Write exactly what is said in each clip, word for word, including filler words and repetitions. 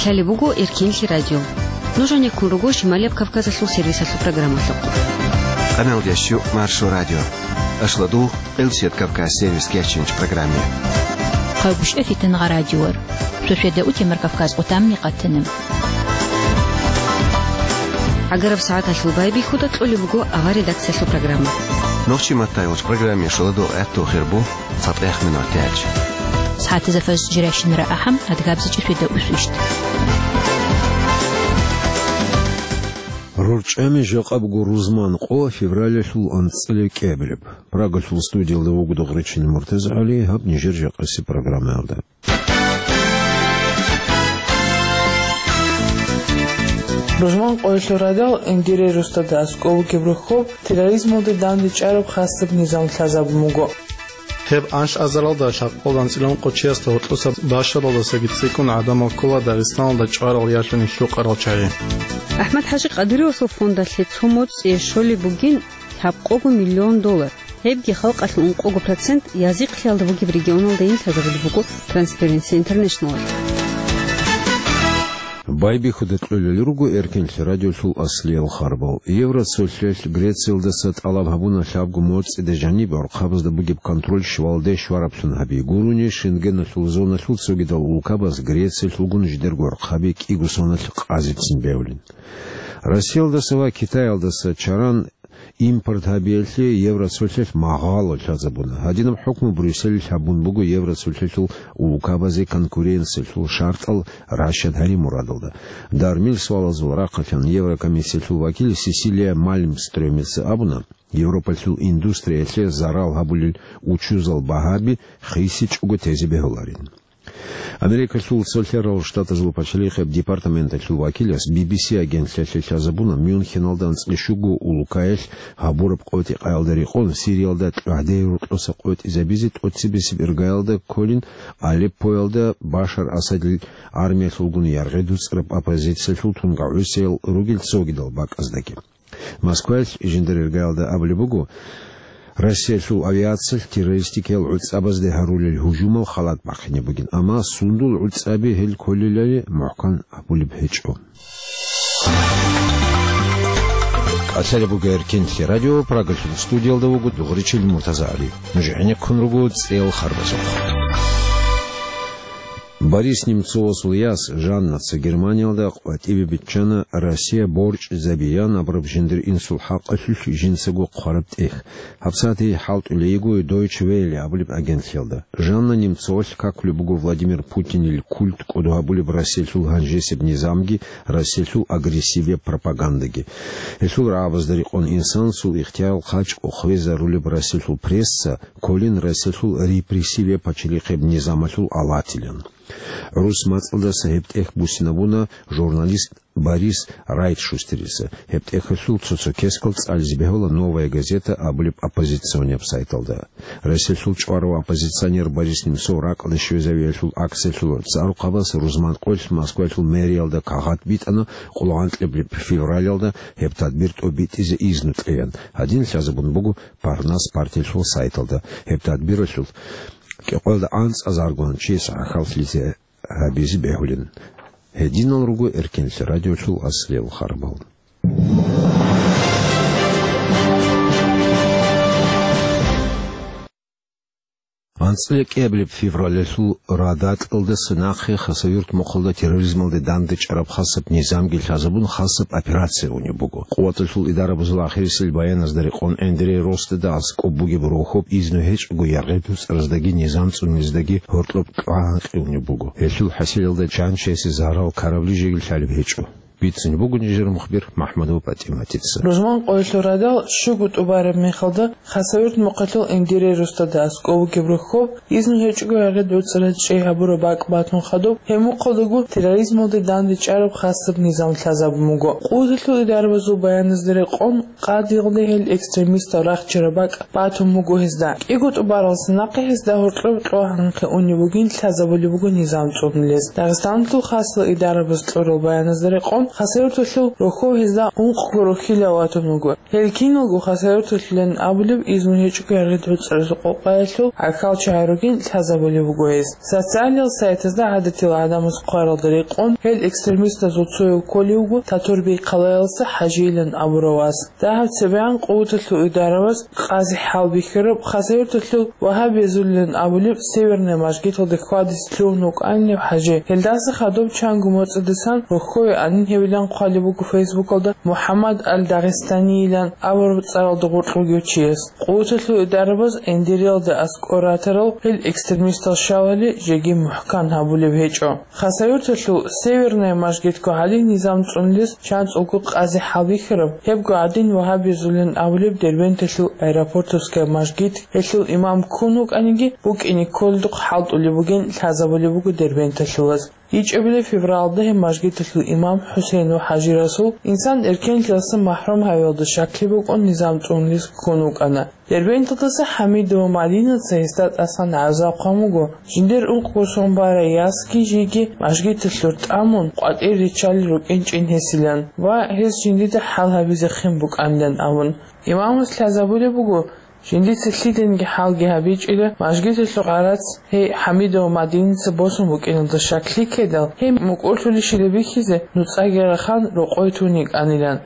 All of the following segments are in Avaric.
Лъалеб буго Эркенлъи радио. Нуж гьанеккун руго Шималияб Кавказалъул сервисалъул программалъухъ. Къаналдящу Маршо радио. Ашладу Элсет Кавказ сервис кеченч программе. Хъагушев Фитангъа радиор. Суседа утемар Кавказ отамни къатанам. Агараб сагӀаталъул байбихьуда кьолеб буго авар редакциялъул программа. Нохчи маттайгъуч программе шоладо гӀатту хирбу. ЦатӀех минуталъ. СагӀатазда фаз жирашин рагӀахӀам, адгабзичӀи светда усвищт. РорчӀами жакъа буго рузман къо февралалъул анцӀила кӀиабилеб. Прагалъул студиялда вуго Дугъричил МуртазагӀали, гьаб нижер жакъаси программаялда. Рузман къоялъул радал Энгире Рустада аскӀов бугеб рохьоб терроризмалде дандечӀараб хасаб низам лъазабун буго. Гьеб анлъазаралда лъабкъоялда анцӀила ункъо чиясда гьоркьоса башаралдасаги цӀикӀкӀун гӀадамал ккола Дагъистаналда чӀварал ялъуни лъукъарал чагӀи. АхӀмад-ХӀажи Къадыровасул фондалъе цо моцӀие щолеб бугин лъабкъого миллион доллар. Гьебги халкъалъул ункъого процент язихълъиялда бугеб регионалдайин лъазабулеб буго Transparency International-алъ. Байбихьуда кьолел руго Эркенлъи радиолъул аслиял харбал. Евроцолъиялъ Грециялдаса тӀалаб гьабуна лъабго моцӀида жаниб гӀурхъабазда бугеб контроль щвалде щвараблъун гьаби гурони, Шенгеналъул зоналъул цогидал улкабаз Грециялъулгун жидерго гӀурхъаби кӀиго соналъ къазицин бегьулин. Россиялдаса ва Китаялдаса чаран импорт гьабиялъе Евроцолъиялъ магъало лъазабуна. Гьадинаб хӀукму Брюсселалъ гьабун буго Евроцолъиялъул улкабазе конкуренциялъул шартӀал ращад гьари мурадалда. Дармил суалазул рахъалъан Еврокомиссиялъул вакил Сесилия Мальмстрёмица абуна, Европалъул индустриялъе зарал гьабулел учузал багьаби хисичӀого тезе бегьуларин. Америкалъул Цолъарал Штатазул пачалихъеб департаменталъул вакилас Би Би Си агентлъиялъе лъазабуна, Мюнхеналда анцӀила щуго улкаялъ гьабураб къотӀи-къаялда рекъон Сириялда гӀадин рокьоса къотӀизабизе тӀоцебесеб иргаялда кколин Алеппоялда Башар Асадил армиялъулгун яргъи дуцӀараб оппозициялъул тунгагӀусиял ругел цогидал бакӀаздаги. Москваялъ жиндир иргаялда абулеб буго, Россиялъул авиациялъ террористикиял гӀуцӀабазде гьарулел гьужумал халат бахъине бугин, амма сундул гӀуцӀаби гьел кколелали мухӀкан абулеб гьечӀо. КӀалъалеб буго Эркенлъи радио, Прагалъул студиялда вуго Дугъричил МуртазагӀали. Нуж гӀенеккун руго цӀел харбазухъ. Борис Немцовасул яс Жаннаца Германиялда къватӀибе биччана Россия борчӀизабеян абураб жиндир инсул хӀакъалъулъ жинцаго хъвараб тӀехь. ГьабсагӀат гьей хӀалтӀулей йиго Deutsche Welle абулеб агентлъиялда. Жанна Немцовалъ какулеб буго Владимир Путинил культ кӀодо гьабулеб Россиялъул гьанжесеб низамги, Россиялъул агрессивияб пропагандаги. Гьелъул рагӀабазда рекъон инсанасул ихтияр хъачӀго хвезарулеб Россиялъул пресса, кколин Россиялъул репрессивияб пачалихъеб низамалъул алатилан. ГӀурус мацӀалдаса гьеб тӀехь буссинабуна журналист Борис Райтшустерица. Гьеб тӀехьалъул цо-цо кескал цӀализе бегьула «Новая газета» абулеб оппозиционияб сайталда. Россиялъул чӀварав оппозиционер Борис Немцов ракӀалде щвезавиялъул акциялъул цӀарухъабаз рузман къоялъ Москваялъул мэриялда кагъат битӀана къулгӀанкьаблъи февралалда гьеб тадбир тӀобитӀизе изну кьеян. Гьадин лъазабун буго Парнас партиялъул сайталда. Гьеб тадбиралъул кӀикъоялда анцӀазаргун чияс гӀахьаллъизе гьабизе бегьулин. Гьединал руго Эркенлъи радиолъул аслиял харбал. АнцӀила кӀиабилеб февралалъул радакьалдаса нахъе Хасавюрт мухъалда терроризмалде дандечӀараб хасаб низамги лъазабун хасаб операция унеб буго. Къуваталъул идарабазул ахирисел баяназда рекъон Энгире Рустада аскӀоб бугеб рохьоб изну гьечӀого яргъи дуцӀараздаги низам цӀунилиздаги гьоркьоб кьвагьанкъи унеб буго. Гьелъул хӀасилалда чан чиясе зарал ккарабли жеги лъалеб гьечӀо. Бицунеб буго нижер мухбир МахӀмудова ПатӀиматица. Рузман къоялъул радал щуго тӀубараб мехалда Хасавюрт мухъалъул Энгире Рустада аскӀов вугеб рохьоб, изну гьечӀого яргъи дуцӀараз чӀей гьабураб бакӀ батун хадуб, гьеб мухъалдаго терроризмалде дандечӀараб хасаб низам лъазабун буго. Къуваталъул идарабазул баяназда рекъон, къадиялде гьел экстремистал рахчараб бакӀ батун буго гьезда. КӀиго тӀубаралдаса нахъе гьезда гьоркьоб кьвагьанкъи унеб бугин лъазабулеб буго низам цӀунулез. Дагъистаналъул хасал идарабаз кьурал баяназда рекъон, Хасавюрталъул рохьов гьезда ункъго рохьилав ватун вуго. Гьел киналго Хасавюрталъулин абулеб изну гьечӀого Яргъид ГӀуцӀралъул къокъаялъул гӀахьалчагӀи ругин лъазабулеб буго гьез. Социалияб сайтазда гӀадатил гӀадамаз хъваралда рекъон, гьел экстремистазул цояв кколев вуго Татурбей хъалаялъа ХӀажийилан абурав вас. Дагьаб цебегӀан къуваталъул идараваз къази хӀалбихьараб Хасавюрталъул вагьабиязулилан абулеб Северная мажгиталда хьвадизе лъугьун вукӀанилев ХӀажи. Гьелдаса хадуб чанго моцӀидасан рохьове анин гьевилан хъвалеб буго Фейсбукалда МухӀаммад аль-Дагъистанийилан абураб цӀаралда гъоркь вугев чияс. Къуваталъул идарабаз Эндириялда аскӀор ратарал гьел экстремистал щалали жеги мухӀкан гьабулеб гьечӀо. Хасавюрталъул Северная мажгитго гьале низам цӀунулес чанцӀулго къази хӀалбихьараб, гьебго гӀадин вагьабиязулин абулеб Дербенталъул Аэропортовская мажгит, гьелъул имам ккун вукӀаниги, букӀине кколдухъ хӀалтӀулеб бугин лъазабулеб буго дербенталъулаз. ИчӀабилеб февралда гьеб мажгиталъул имам ХӀусейнов ХӀажи-Расул инсан эркенлъиялъа махӀрум гьавиялда щаклъи букӀун низам цӀунулес ккун вукӀана. Дербенталдаса ХӀамидова Мадинаца гьесда тӀасан гӀазаб хъван буго, жиндир ункъго сон барай ясги жиги мажгиталъур тӀамун къватӀир риччалел рукӀинчӀин гьесилан ва гьес жиндида хӀал гьабизе хин букӀанилан абун. Имамас лъазабулеб буго, жиндица лъиданиги хӀалги гьабичӀила, мажгиталъул гӀарац гьей ХӀамидова Мадинаца босун букӀиналда щаклъи ккедал, гьей мукӀурлъулищила бихьизе нуцӀаги рахан рокъой тун йикӀанилан.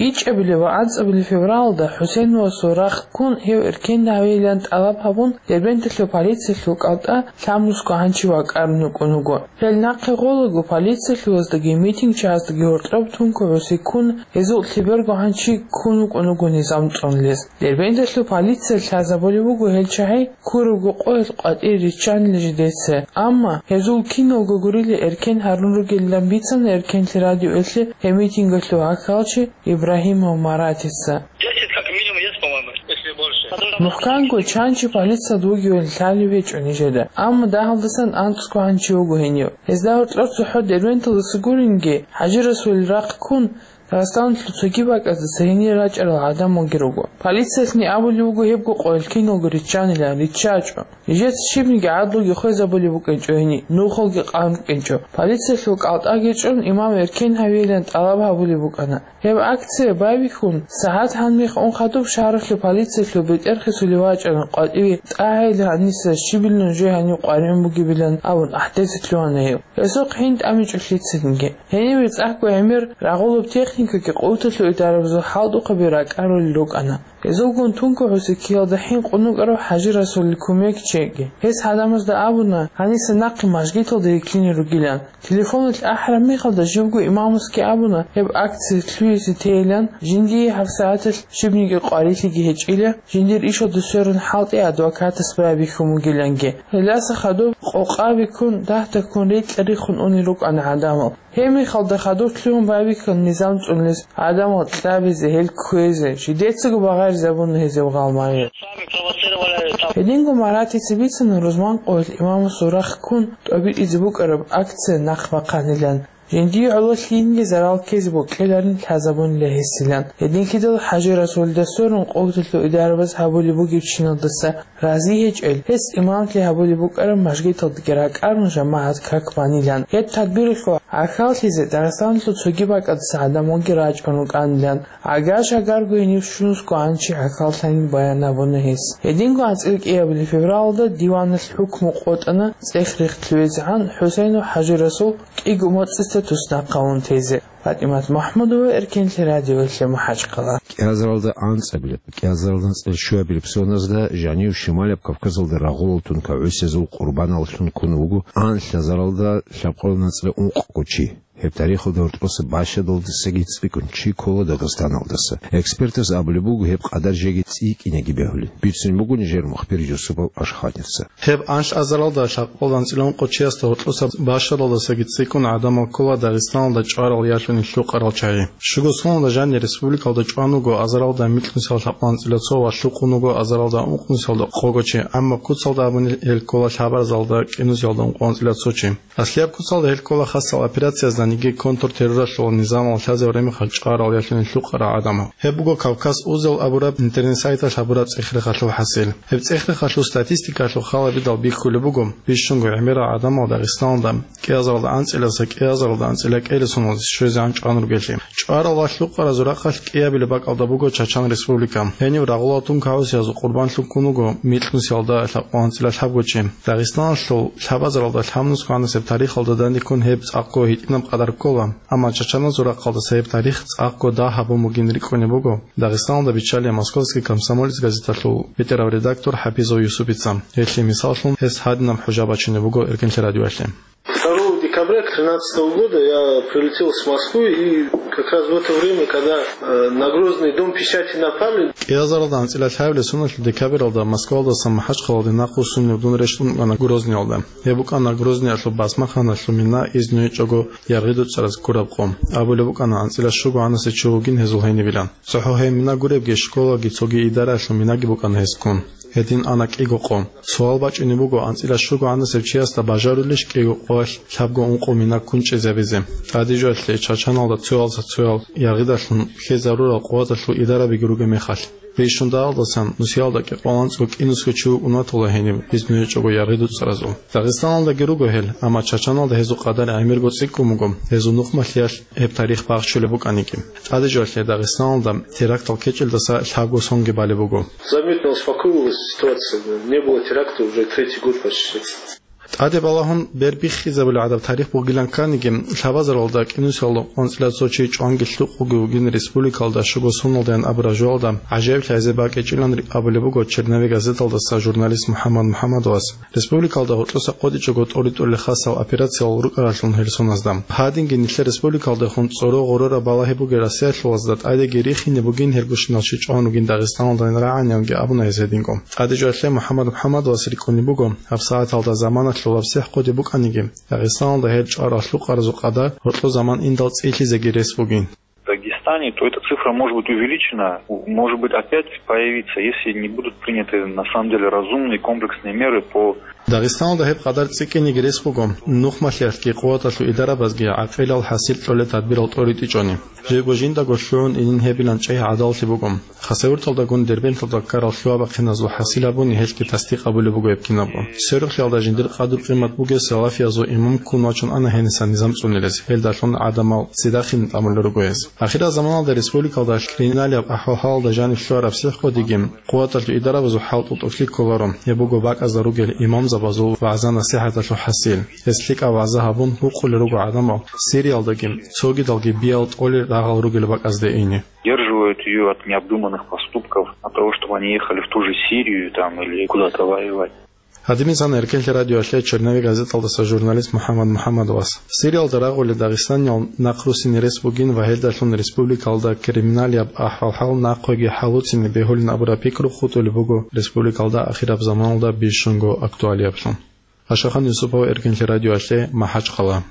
ИчӀабилеб ва анцӀабилеб февралда ХӀусейновасул рахъ ккун гьев эркен гьавейилан тӀалаб гьабун, Дербенталъул полициялъул кӀалтӀа лъабнусго гьанчи вакӀарун вукӀун вуго. Гьел нахъе гъолаго полициялъулаздаги митингчагӀаздаги гьоркьоб тункогӀуси ккун, гьезул лъеберго гьанчи ккун вукӀун вуго низам цӀунулес. Дербенталъул полиция лъазабулеб буго гьел чагӀи ккурабго къоялъ къватӀире риччанила жидеца. Амма гьезул киналго гурила эркен гьарун ругелилан бицана Эркенлъи радиоялъе гьеб митингалъул гӀахьалчи Ибрагьимов Маратица. Десять как минимум есть, по-моему, если больше. МухӀканго чанчи полициялда вугевали лъалев гьечӀо нижеда. Амма дагьалдасан анцӀго гьанчи вуго гьенив. Гьезда гьоркьор цохӀо Дербенталдаса гуринги, ХӀажи-Расулил рахъ ккун, Дагъистаналъул цоги бакӀаздаса гьенир рачӀарал гӀадамалги руго. Полициялъни абулеб буго гьебго къоялъ киналго риччанилан, риччачӀо. Нижеца щибниги гӀадлуги хвезабулеб букӀинчӀо гьениб, нухалги къан рукӀинчӀо. Полициялъул кӀалтӀаги чӀун, имам эркен гьавейилан тӀалаб гьабулеб букӀана. Гьеб акция байбихьун, сагӀат гьанмихъ ун хадуб шагьаралъул полициялъул бетӀер хисулев вачӀана къватӀиве тӀагӀайилан гьаниса щибилан жо гьанив къваригӀун бугебилан абун ахӀдезе лъугьана гьев. Гьесухъ гьин тӀамичӀо лъицаниги. Гьениб цӀакъго гӀемер рагъулаб техникаги къуваталъул идарабазул хӀалтӀухъаби ракӀарулел рукӀана. Гьезулгун тункогӀуси ккиялда хӀинкъун вукӀарав ХӀажи-Расулил кумекчиги гьес гӀадамазда абуна, гьаниса нахъе мажгиталда рилълъине ругилан. Телефоналъ ахӀараб мехалда живго имамасги абуна, гьеб акция лъугьизе тейилан, жиндие гьабсагӀаталъ щибниги къварилъиги гьечӀила, жиндир ишалда сверун хӀалтӀи адвокатас байбихьун бугиланги. Гьелдаса хадуб къокъаби ккун, дагьда ккун рекьа риххун унел рукӀана гӀадамал. Гьеб мехалда хадур лъугьун байбихьана низам цӀунулес, гӀадамал кьабизе, гьел кквезе, жидецаго багъаризабуна гьезул гъалмагъи. Гьединго Маратица бицана рузман къоялъ имамасул рахъ ккун тӀобитӀизе букӀараб акция нахъ бахъанилан. Жиндие гӀоло лъиениги зарал ккезе бокьиларин лъазабунила гьесилан. Гьединлъидал ХӀажи-Расулида сверун къуваталъул идарабаз гьабулеб бугеб чиналдаса рази гьечӀел, гьес имамлъи гьабулеб букӀараб мажгиталдаги ракӀарун жамагӀат как банилан. Гьеб тадбиралъул гӀахьаллъизе Дагъистаналъул цоги бакӀаздаса гӀадамалги рачӀун рукӀанилан. Гьагар-шагарго гьенив щунусго гьанчи гӀахьаллъани баян гьабуна гьес. Гьединго анцӀила кӀиабилеб февралда диваналъ хӀукму къотӀана цӀех рихтӀлъугӀизегӀан ХӀусейнов ХӀажи-Расул кӀиго моцӀица туснахъ гьавун тезе. ПатӀимат МахӀмудова, Эркенлъи радиоялъе, МахӀачхъала. КӀиазаралда анцӀабилеб, кӀиазаралда анцӀила щуабилеб соназда жанив Шималияб Кавказалда рагъулал тункагӀусиязул къурбаналлъун ккун вуго анлъазаралда лъабкъоялда анцӀила ункъго чи. Гьеб тарихалда гьоркьоса бащадалдасаги цӀикӀкӀун чи ккола Дагъистаналдаса. Экспертаз абулеб буго, гьеб къадар жеги цӀикӀкӀинеги бегьулин. Бицунеб буго нижер мухбир Юсупов Ашханица. Гьеб анлъазаралда лъабкъоялда анцӀила ункъо чиясда гьоркьоса бащадалдасаги цӀикӀкӀун гӀадамал ккола Дагъистаналда чӀварал ялъуни лъукъарал чагӀи. Щуго соналда жанир республикалда чӀван вуго азаралда микьнусиялда лъабкъоялда анцӀила цо ва лъукъун вуго азаралда ункънусиялда хъого чи, амма куцалда абуни гьел ккола лъабарзалда кӀинусиялда ункъоялда анцӀила цо чи. Аслияб куцалда гьел ккола хасал операциязда Цинги контртерроралъул низамалъ лъазаб ремехалъ чӀварал ялъуни лъукъарал гӀадамал. Гьеб буго Кавказ узел абураб интернет-сайталъ гьабураб цӀех-рехалъул хӀасил. Гьеб цӀех-рехалъул статистикалъул халабидал бихьулеб буго, бищунго гӀемерал гӀадамал Дагъистаналда кӀиазаралда анцӀиласа кӀиазаралда анцӀила кӀелесуналде щвезегӀан чӀван ругелъи. ЧӀварал ва лъукъаразул рахъалъ кӀиабилеб бакӀалда буго Чачан Республика. Гьенив рагъулал тункагӀусиязул къурбанлъун ккун вуго микьнусиялда лъабкъоялда анцӀила лъабго чи. Дагъистаналъул лъабазаралда лъабнусго гӀанасеб тарихалда данде ккун гьеб цӀакъго гьитӀинаб къадар ккола, амма чачаназул рахъалдаса гьеб тарих цӀакъго дагь гьабун бугин рикӀкӀунеб буго Дагъистаналда биччалев «Московский комсомолец» газеталъул бетӀерав редактор ХӀапизов Юсупица. Гьелъие мисаллъун гьес гьадинаб хӀужа бачунеб буго Эркенлъи радиоялъе. Второго декабря тринадцатого года я прилетел с Москвы, и как раз в это время, когда, э, на Грозный дом печати напали. КӀиазаралда анцӀила лъабилеб соналъ декабралда Москвалдаса МахӀачхъалалде нахъвуссунев дун рещтӀун вукӀана Грозниялда. Гьеб букӀана Грозниялъул басмахъаналъул мина, изну гьечӀого Яргъи ДуцӀараз ккураб къо. Абулеб букӀана, анцӀила щуго гӀанасев чи вугин гьезул гьенибилан. ЦохӀо гьеб мина гуребги, школаги цоги идараялъул минаги букӀана гьез ккун. Гьедин ана кӀиго къо. Суал бачӀунеб буго, анцӀила щуго гӀанасев чиясда бажарулищ кӀиго къоялъ лъабго-ункъо мина ккун чӀезабизе? ТӀадежалъе, Чачаналда цоялдаса цоял яргъидалъун ккезарурал къуваталъул идарабиги ругеб мехалъ. Бищун дагьалдасан нусиялда кӀикъоялда анцӀго кӀинусго чи вукӀун ватула гьениб, изну гьечӀого Яргъи ДуцӀаразул. Дагъистаналдаги руго гьел, амма Чачаналда гьезул къадар гӀемерго цӀикӀкӀун буго, гьезул нухмалъиялъ гьеб тарих бахчулеб букӀаниги. ТӀадежалъе, Дагъистаналда терактал ккечӀелдаса лъабго сонги балеб буго. Заметно успокоилась ситуация. Не было теракта уже третий год почти. ТӀаде балагьун бербихьизабулеб гӀадаб тарих бугилан кканиги, лъабазаралда кӀинусиялда анцӀила цо чи чӀванги лъукъги вугин республикалда щуго соналдаян абураб жоялда гӀажаиблъи гьезие бакӀичӀилан абулеб буго «Черновик» газеталдаса журналист МухӀаммад МухӀаммадовас. Республикалда гьоркьоса къотӀичӀого тӀоритӀулел хасал операциял рукӀаралъун гьел соназда. Гьадинги нилъер республикалдехун цӀоро гъорораб балагьи бугел россиялъулазда тӀадеги рихине бугин гьелгощинал чи чӀван ругин Дагъистаналдайин рагӀаниянги абуна гьез гьединго. ТӀадежалъе МухӀаммад МухӀаммадовас рикӀкӀунеб буго, гьабсагӀаталда заманалъул гьабсихӀ хъуде букӀаниги, Дагъистаналда гьел чӀварал лъукъаразул къадар гьоркьо заман индал цӀилъизеги рес бугин. В Дагестане, то эта цифра может быть увеличена, может быть опять появиться, если не будут приняты на самом деле разумные комплексные меры по Дагъистаналда гьеб къадар цӀикӀкӀиниги рес буго, нухмалъиялъги къуваталъул идарабазги гӀакъилал хӀасил кьолел тадбирал тӀоритӀичӀони. Жего жиндаго лъугӀун инин гьебилан чӀей гӀадаллъи буго. Хасавюрталдагун Дербенталда ккарал лъугьа-бахъиназул хӀасил гьабуни гьелъги тасдикъ абулеб буго гьеб кинабго. Сверухълъиялда жиндир къадру-къимат бугес салафиязул имам ккун вачун ана гьенисан низам цӀунилез, гьелдалъун гӀадамал цидахъин тӀамулел руго гьез. Ахирал заманалда республикалда криминалияб ахӀвал-хӀалалда жаниб лъугьараб сихӀкъодиги, къуваталъул идарабазул хӀалтӀу тӀокӀлъи кколаро, гьеб буго бакӀазда ругел имамзабазул вагӀза-насихӀаталъул хӀасил. Гьес лъикӀаб вагӀза гьабун гьукъулел руго гӀадамал Сириялдаги, цогидалги биял тӀолел рагъал ругел бакӀазде ине. Удерживают её от необдуманных поступков, от того, чтобы они ехали в ту же Сирию там или куда-то воевать. Гьадинаб мисал Эркенлъи радиоялъе «Черновик» газеталдаса журналист МухӀаммад МухӀаммадовас. Сириялда рагъулел дагъистаниял нахъруссине рес бугин ва гьелдалъун республикалда криминалияб ахӀвал-хӀал нахъеги хӀалуцине бегьулин абураб пикру хутӀулеб буго республикалда ахираб заманалда бищунго актуалиаблъун. Ашахан Юсупов, Эркенлъи радиоялъе, МахӀачхъала.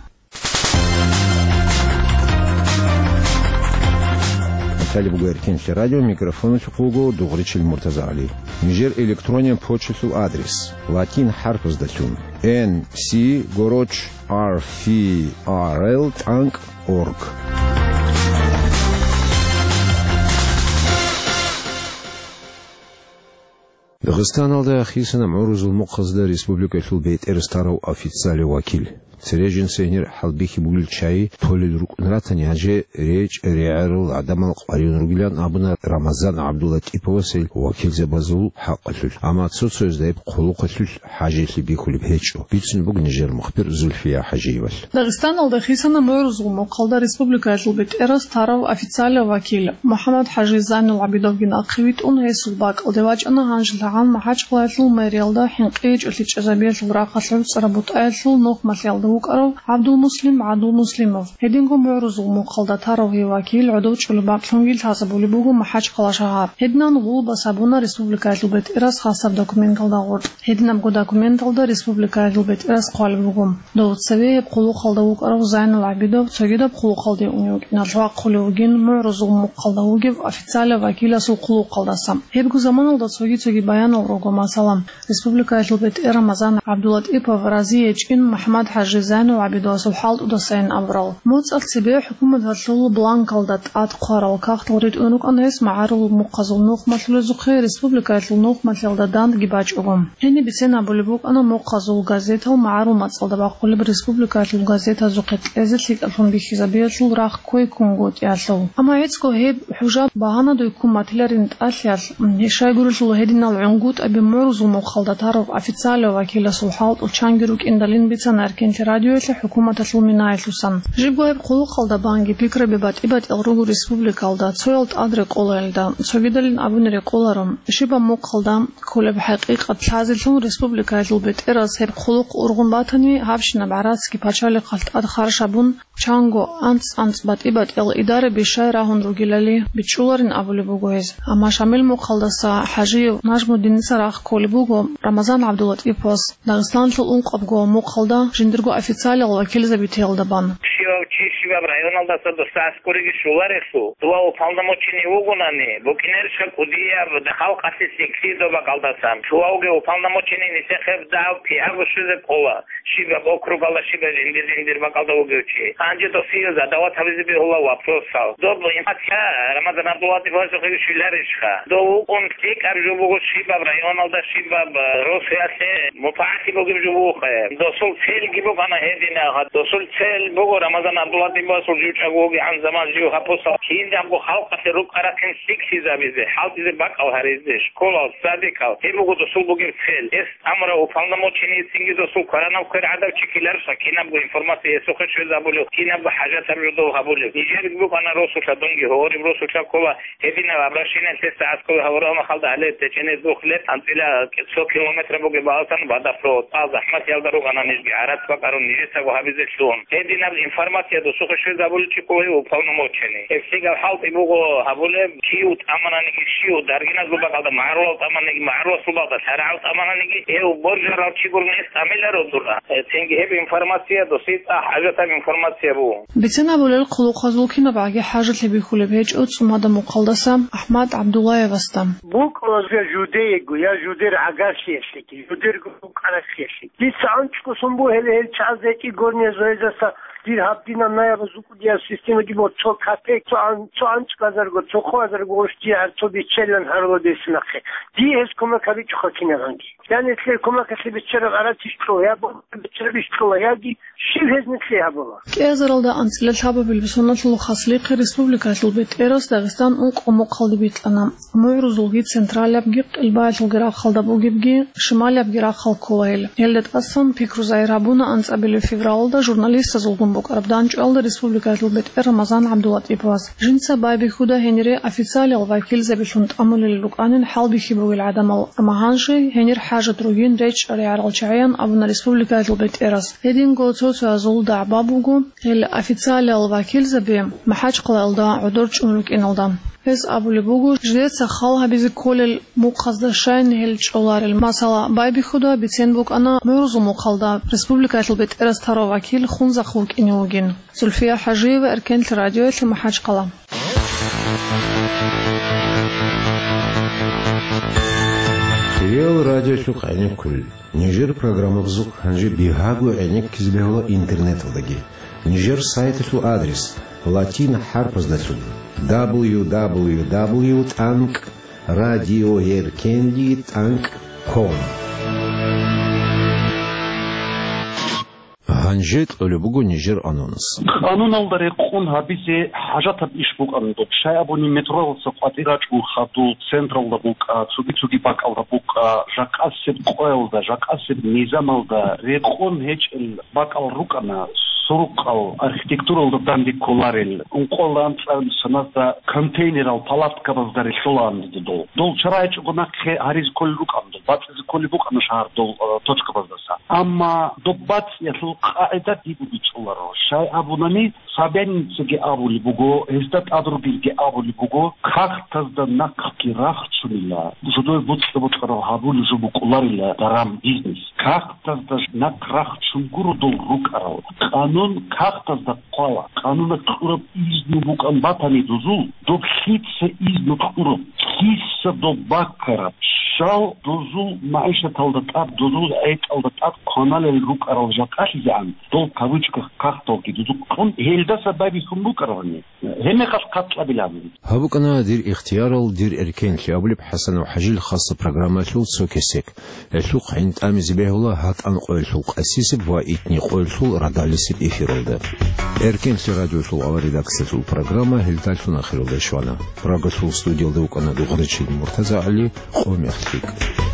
Италия буго Эркенлъи радио, микрофоналъухъ вуго Дугъричил МуртазагӀали. Нижер электрониян почталъул адрес: латин хӀарпаздалъун, N C гороч R F R L тӀанкӀ org. Дагъистаналда хисана мугӀрузул мухъазда республикалъул бетӀерас тарав официалияв вакил. Цере жинца гьенир хӀалбихьи бугел чагӀи толел рукӀун ратани, гьанже речӀ-регӀерал гӀадамал къваригӀун ругилан абуна Рамазан ГӀабдуллатӀиповас гьел вакилзабазул хӀакъалъулъ, амма цо-цоязда гьеб хъулухъалъулъ хӀажиялъе бихьулеб гьечӀо, бицунеб буго нижер мухбир Зульфия ХӀажиевалъ. Дагъистаналда хисана мугӀрузул мухъалда республикаялъул бетӀерас тарав официалияв вакил МухӀаммад-ХӀажи Зайнул ГӀабидовги нахъе витӀун, гьесул бакӀалде вачӀана гьанжелъагӀан МахӀачхъалаялъул мэриялда хӀинкъи гьечӀолъи чӀезабиялъул рахъалъ гӀуцӀараб бутӀаялъул нухмалъиялда вукӀарав ГӀабдулмуслим ГӀадулмуслимов. Гьединго мугӀрузул мухъалда тарав гьев вакил гӀодов чӀолеб бакълъунги лъазабулеб буго МахӀачхъала шагьар. Гьединан гъулбас гьабуна республикаялъул бетӀерас хасаб документалда гъоркь. Гьединабго документалда республикаялъул бетӀерас хъвалеб буго. Дов цеве гьеб хъулухъалда вукӀарав Зайнул ГӀабидов цогидаб хъулухъалде унев вукӀиналъ вахъулев вугин, мугӀрузул мухъалда вугев официалав вакиласул хъулухъалдаса. Гьебго заманалда цоги-цоги баянал руго, масала, республикаялъул бетӀер Рамазан ГӀабдулатӀипов рази гьечӀин МухӀаммад-хӀажи Зайнул ГӀабидовасул хӀалтӀудасайин абурал. МоцӀалъ цебе хӀукуматалъул бланкалда тӀад хъварал кагътал ритӀун рукӀана гьес магӀарул мухъазул нухмалъулезухъе республикаялъул нухмалъиялда дандги бачӀого. Гьениб бицен абулеб букӀана мухъазул газетал магӀарул мацӀалда бахъулеб республикаялъул газетазухъе кьезе лъикӀалъун бихьизабиялъул рахъ кквей ккунгутӀиялъул. Амма гӀицӀго гьеб хӀужа багьанадуй ккун батиларин тӀалъиялъ, м, щайгурелъул гьединал гӀунгутӀаби мугӀрузул мухъалда тарав официалав вакиласул хӀалтӀу чанги рукӀиндалин бицана Эркенлъи радиоялъе хӀукуматалъул минаялъусан. Жибго гьеб хъулухъалда банги пикраби батӀи-батӀиял руго республикалда, цоял тӀад рекъолаялда, цогидалин абуни рекъоларо, щибаб мухъалда кколеб хӀакъикъат лъазелъун республикаялъул бетӀерас гьеб хъулухъ ургъун батани, гьабщинаб гӀарацги пачалихъалъ тӀад харж гьабун, чанго анцӀ-анцӀ батӀи-батӀиял идараби щай рагьун ругелали бичӀчӀуларин абулеб буго гьез. Амма Шамил мухъалдаса ХӀажиев Нажмудиница рахъ кколеб буго Рамазан ГӀабдулатӀиповас Дагъистаналъул ункъабго мухъалда жиндирго официалиял вакилзабитиялда бан. Щивав чи щибаб районалдаса досда аскӀориги щоларелъул, дова уполномоченный вугонани, букӀинарищха кӀудияб халкъалъе лъикӀлъи доб бакӀалдасан? Щивавги уполномоченный нилъехъе дагь кигӀаго щвезе ккола. Щибаб округалда, щибаб жиндир-жиндир бакӀалда вугев чи. Гьанже досие задават гьабизе бегьула вопросал. Доб информация Рамазан ГӀабдулатӀиповасухъе щвеларищха? Дов вукӀун лъикӀаб жо буго щибаб районалда, щибаб, э, росуялъе мутагӀалли бугеб жо бугохъе. Досул цельги букӀана гьединаб. Досул цель буго Рамазан ГӀабдулатӀиповасул жучӀаго вугегӀан заман жив гьаб посал кинабго халкъалъе рукӀа-рахъин лъикӀлъизабизе, хӀалтӀизе бакӀал гьаризе, школал, садикал. Гьеб буго досул бугеб цель. Эс амра уполномоченныйцинги досул кваранаб квер гӀадав чи ккеларищха кинабго информация гьесухъе щвезабулев, кинабго хӀажатаб жо дов гьабулев. Нижерги букӀана росулъа, дунги гьориб росулъа ккола гьединаб обращение лъеца аскӀове гьавурал махалда гьале течӀене дух леб анцӀила цо километр бугеб баласан водопровод. ТӀал захӀматиялда рукӀана нижги гӀарац бакӀарун нижецаго гьабизе лъугьун. Гьединаб информация досухъе щвезабулев чи ккола уполномоченный. Гьеб лъикӀаб хӀалтӀи буго гьабулеб, кив тӀамананиги, щив даргиназул бакӀалда магӀарулал тӀамананиги, магӀаруласул бакӀалда шаригӀал тӀамананиги, гьев боржарав чи гурони гьес тӀамиларо дура. Э, цинги гьеб информация досие цӀакъ хӀажатаб информация буго. Бицен абулел, хъулухъазул кинабгӀаги хӀажалъи бихьулеб гьечӀо цӀумада мухъалдаса АхӀмад ГӀабдуллаевасда. БукӀула я жудеего, я жудер гӀагарлъиялъеги, жудерго букӀарахъиялъеги. Дица анцӀго сон буго гьеле гьел чагӀаз гьечӀи горния зоязаса дир гьаб дина наяб зукӀудияб системаги бо цо капек, цо ан-, цо анцӀгазарго, цо хъвазарго гъош дие гьар цо биччалилан гьарулеб нахъе. Дие гьез кумек гьабичӀоха кинабанги. Я нилъер кумекалъе биччараб гӀарац ищ кьола, я бо-, биччараб ищ кьола, яги щив гьез нилъее гьабула? КӀиазаралда анцӀила лъабабилеб соналъул хаслихъе республикалъул бетӀерас Дагъистан ункъо мухъалде бикьана. МугӀрузулги централабги къилбаялъулги рахъалда бугебги, шималабги рахъал ккола гьел. Гьелда тӀасан пикру загьир гьабуна анцӀабилеб февралалда журналистазулгун букӀараб дандчӀвалда республикалъул бетӀер Рамазан ГӀабдулатӀиповас. Жинца байбихьуда гьенире официалиял вакилзабилъун тӀамулел рукӀанин хӀалбихьи бугел гӀадамал, амма гьанже гьенир хӀажат ругин речӀчӀаригӀарал чагӀиян абуна республикалъул бетӀерас. Гьединго цо-цоязул дагӀба буго гьел официалиял вакилзаби МахӀачхъалаялда гӀодор чӀун рукӀиналда. Гьес абулеб буго, жидеца хал гьабизе кколел мухъазда щайин гьел чӀоларел. Масала, байбихьуда бицен букӀана мугӀрузул мухъалда республикалъул бетӀерас тарав вакил Хунзахъ вукӀине вугин. Зульфия ХӀажиева, Эркенлъи радиоялъе, МахӀачхъала. Реал радиолъухъ гӀенеккулел. Нижер программабазухъ гьанже бигьаго гӀенеккизе бегьула интернеталдаги. Нижер сайталъул адрес латин хӀарпаздалъун: дабл ю дабл ю дабл ю тӀанкӀ радиоеркенлъи тӀанкӀ ком. Гьанже кьолеб буго нижер анонс. Къануналда рекъон гьабизе хӀажатаб иш букӀана доб. Щай абуни метродаса къватӀир рачӀун хадуб, централда букӀа, цоги-цоги бакӀалда букӀа, жакъасеб къоялда, жакъасеб низамалда рекъон гьечӀел бакӀал рукӀана, сурукъал архитектуралда данде кколарел, ункъоялда анцӀараб соназда контейнерал палаткабазда релълъулаан дидул. Дол чара гьечӀого нахъе гьаризе кколел рукӀана дол, бацӀизе кколеб букӀана шагьар дол, э, точкабаздаса. Амма доб бацӀиялъул къагӀида дибу бичӀчӀуларо. Щай абунани, Собяниницаги абулеб буго, гьезда тӀад ругелги абулеб буго, кагътазда нахъги рахчунила, жодое боцӀи-бокьараб гьабулеб жо букӀуларила даран бизнес. Кагътазда нахъ рахчун гуро дол рукӀарал. Къанун кагътазда хъвала. Къануна кьураб изну букӀан батани дозул, доб лъица изну кьураб, лъица доб баккараб, щал дозул магӀишаталда тӀад, дозул гӀетӀалда тӀад кваналел рукӀарал жакъалъизегӀан, дол кавычках кагъталги дозухъ кьун, гьелдаса байбихьун букӀарабани. Гьебмехалъ хъат кьабилан. Гьаб букӀана «Дир ихтиярал, дир эркенлъи» абулеб ХӀасанов ХӀажил хасса программаялъул цо кесек. Гьелъухъ гӀин тӀамизе бегьула гьатӀан къоялъул къасисеб ва итни къоялъул радалисеб эфиралда. Эркенлъи радиолъул авар редакциялъул программа гьелдалъун ахиралде щвана. Прагалъул студиялда вукӀана Дугъричил МуртазагӀали, къо мех лъикӀ.